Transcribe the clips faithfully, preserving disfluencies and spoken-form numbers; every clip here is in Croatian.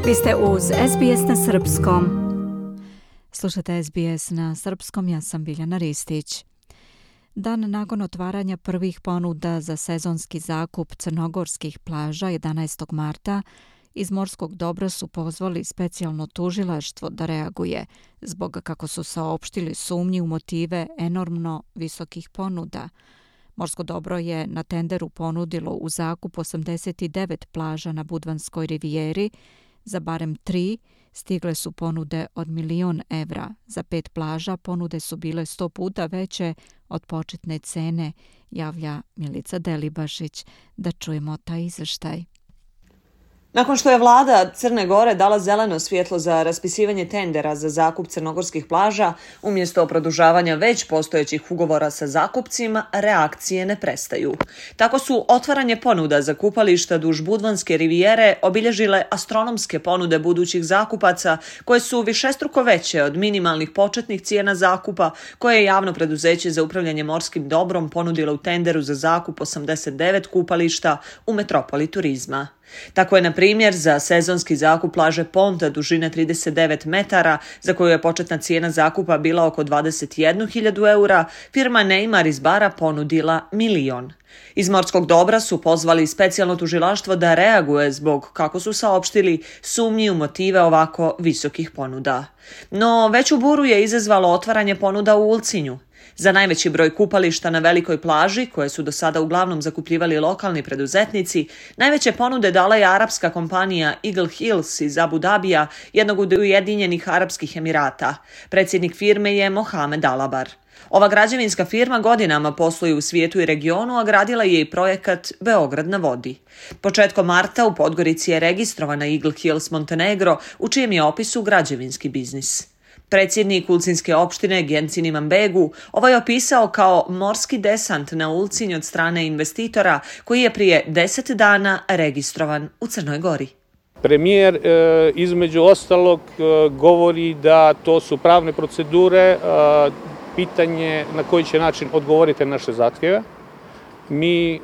Vi ste uz S B S na srpskom. Slušate S B S na srpskom, ja sam Biljana Ristić. Dan nakon otvaranja prvih ponuda za sezonski zakup crnogorskih plaža jedanaestog marta, iz morskog dobra su pozvali specijalno tužilaštvo da reaguje zbog, kako su saopštili, sumnji u motive enormno visokih ponuda. Morsko dobro je na tenderu ponudilo u zakup osamdeset devet plaža na Budvanskoj rivijeri. Za barem tri stigle su ponude od milion evra. Za pet plaža ponude su bile sto puta veće od početne cene, javlja Milica Delibašić. Da čujemo taj izvještaj. Nakon što je vlada Crne Gore dala zeleno svjetlo za raspisivanje tendera za zakup crnogorskih plaža, umjesto produžavanja već postojećih ugovora sa zakupcima, reakcije ne prestaju. Tako su otvaranje ponuda za kupališta duž Budvanske rivijere obilježile astronomske ponude budućih zakupaca, koje su višestruko veće od minimalnih početnih cijena zakupa koje je javno preduzeće za upravljanje morskim dobrom ponudilo u tenderu za zakup osamdeset devet kupališta u metropoli turizma. Tako je, na primjer, za sezonski zakup plaže Ponta dužine trideset devet metara, za koju je početna cijena zakupa bila oko dvadeset jednu hiljadu eura, firma Neymar iz Bara ponudila milion. Iz morskog dobra su pozvali specijalno tužilaštvo da reaguje zbog, kako su saopštili, sumnji u motive ovako visokih ponuda. No, veću buru je izazvalo otvaranje ponuda u Ulcinju. Za najveći broj kupališta na velikoj plaži, koje su do sada uglavnom zakupljivali lokalni preduzetnici, najveće ponude dala je arapska kompanija Eagle Hills iz Abu Dabija, jednog od Ujedinjenih Arapskih Emirata. Predsjednik firme je Mohamed Alabar. Ova građevinska firma godinama posluje u svijetu i regionu, a gradila je i projekat Beograd na vodi. Početkom marta u Podgorici je registrovana Eagle Hills Montenegro, u čijem je opisu građevinski biznis. Predsjednik Ulcinske opštine Gencin Imanbegu ovo je opisao kao morski desant na Ulcinj od strane investitora koji je prije deset dana registrovan u Crnoj Gori. Premijer e, između ostalog e, govori da to su pravne procedure, e, pitanje na koji će način odgovoriti na naše zahtjeve. Mi e,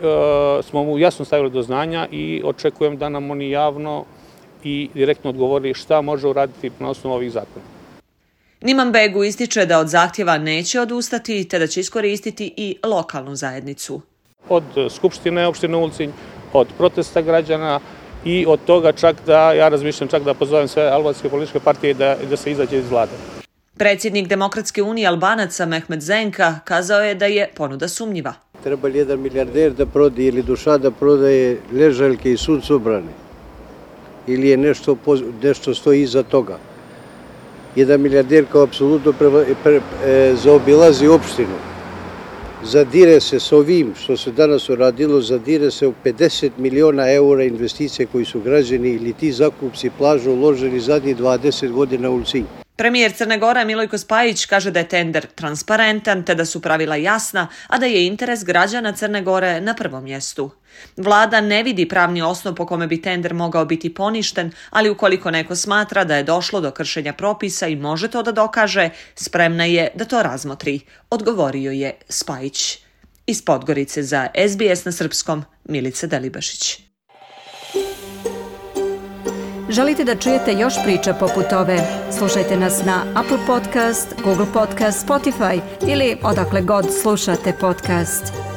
smo mu jasno stavili do znanja i očekujem da nam oni javno i direktno odgovori šta može uraditi na osnovu ovih zakona. Imanbegu ističe da od zahtjeva neće odustati, te da će iskoristiti i lokalnu zajednicu. Od Skupštine opštine Ulcinj, od protesta građana i od toga čak da, ja razmišljam čak da pozovem sve albanske političke partije da, da se izađe iz vlade. Predsjednik Demokratske unije Albanaca Mehmet Zenka kazao je da je ponuda sumnjiva. Treba li jedan milijarder da prodaje ili duša da prodaje ležaljke i suncobrane? Ili je nešto, nešto stoji iza toga? Jedan milijarder kao apsolutno pre, pre, e, zaobilazi opštinu. Zadire se s ovim što se danas uradilo, zadire se u pedeset miliona eura investicije koji su građani ili ti zakupci plaža uložili zadnjih dvadeset godina u Ulcinj. Premijer Crne Gore Milojko Spajić kaže da je tender transparentan te da su pravila jasna, a da je interes građana Crne Gore na prvom mjestu. Vlada ne vidi pravni osnov po kome bi tender mogao biti poništen, ali ukoliko neko smatra da je došlo do kršenja propisa i može to da dokaže, spremna je da to razmotri, odgovorio je Spajić. Iz Podgorice za S B S na srpskom, Milica Delibašić. Želite da čujete još priča poput ove? Slušajte nas na Apple Podcast, Google Podcast, Spotify ili odakle god slušate podcast.